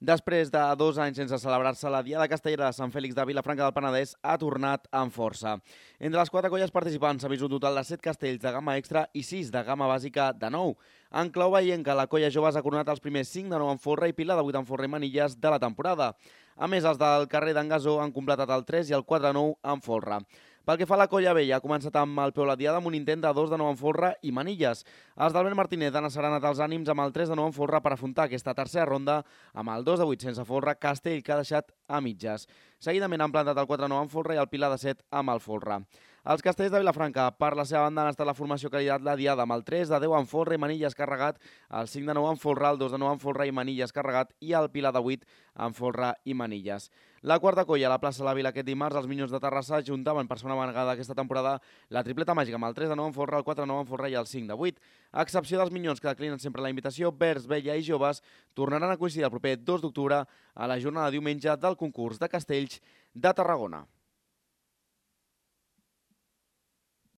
Després de 2 anys sense celebrar-se, la Diada Castellera de Sant Fèlix de Vilafranca del Penedès ha tornat amb força. Entre les 4 colles participants s'ha vist un total de 7 castells de gamma extra i 6 de gamma bàsica de 9. En clau veienca, la colla joves ha coronat els primers 5 de 9 en folre i pila de 8 en folre i manilles de la temporada. A més, els del carrer d'en Gasó han completat el 3 i el 4 de 9 en folre. Pel que fa a la colla vella, ha començat amb el peu la Diada amb un intent de 2 de 9 en folre i manilles. Els d'Albert Martínez han asserenat els ànims amb el 3 de 9 en folre per afrontar aquesta tercera ronda amb el 2 de 8 sense folre, castell que ha deixat a mitges. Seguidament han plantat el 4 de 9 en folre i el pilar de 7 amb el folre. Els castells de Vilafranca, per la seva banda, han estat la formació que ha liderat la Diada amb el 3 de 10 en folre i manilles carregat, el 5 de 9 en folre, el 2 de 9 en folre i manilles carregat i el pilar de 8 en folre i manilles. La quarta colla, a la plaça de la Vila aquest dimarts, els Minyons de Terrassa juntaven per segona vegada aquesta temporada la tripleta màgica amb el 3 de 9 en folre, el 4 de 9 en folre i el 5 de 8. A excepció dels Minyons que declinen sempre la invitació, Verds, Vella i Joves tornaran a coincidir el proper 2 d'octubre a la jornada de diumenge del concurs de castells de Tarragona.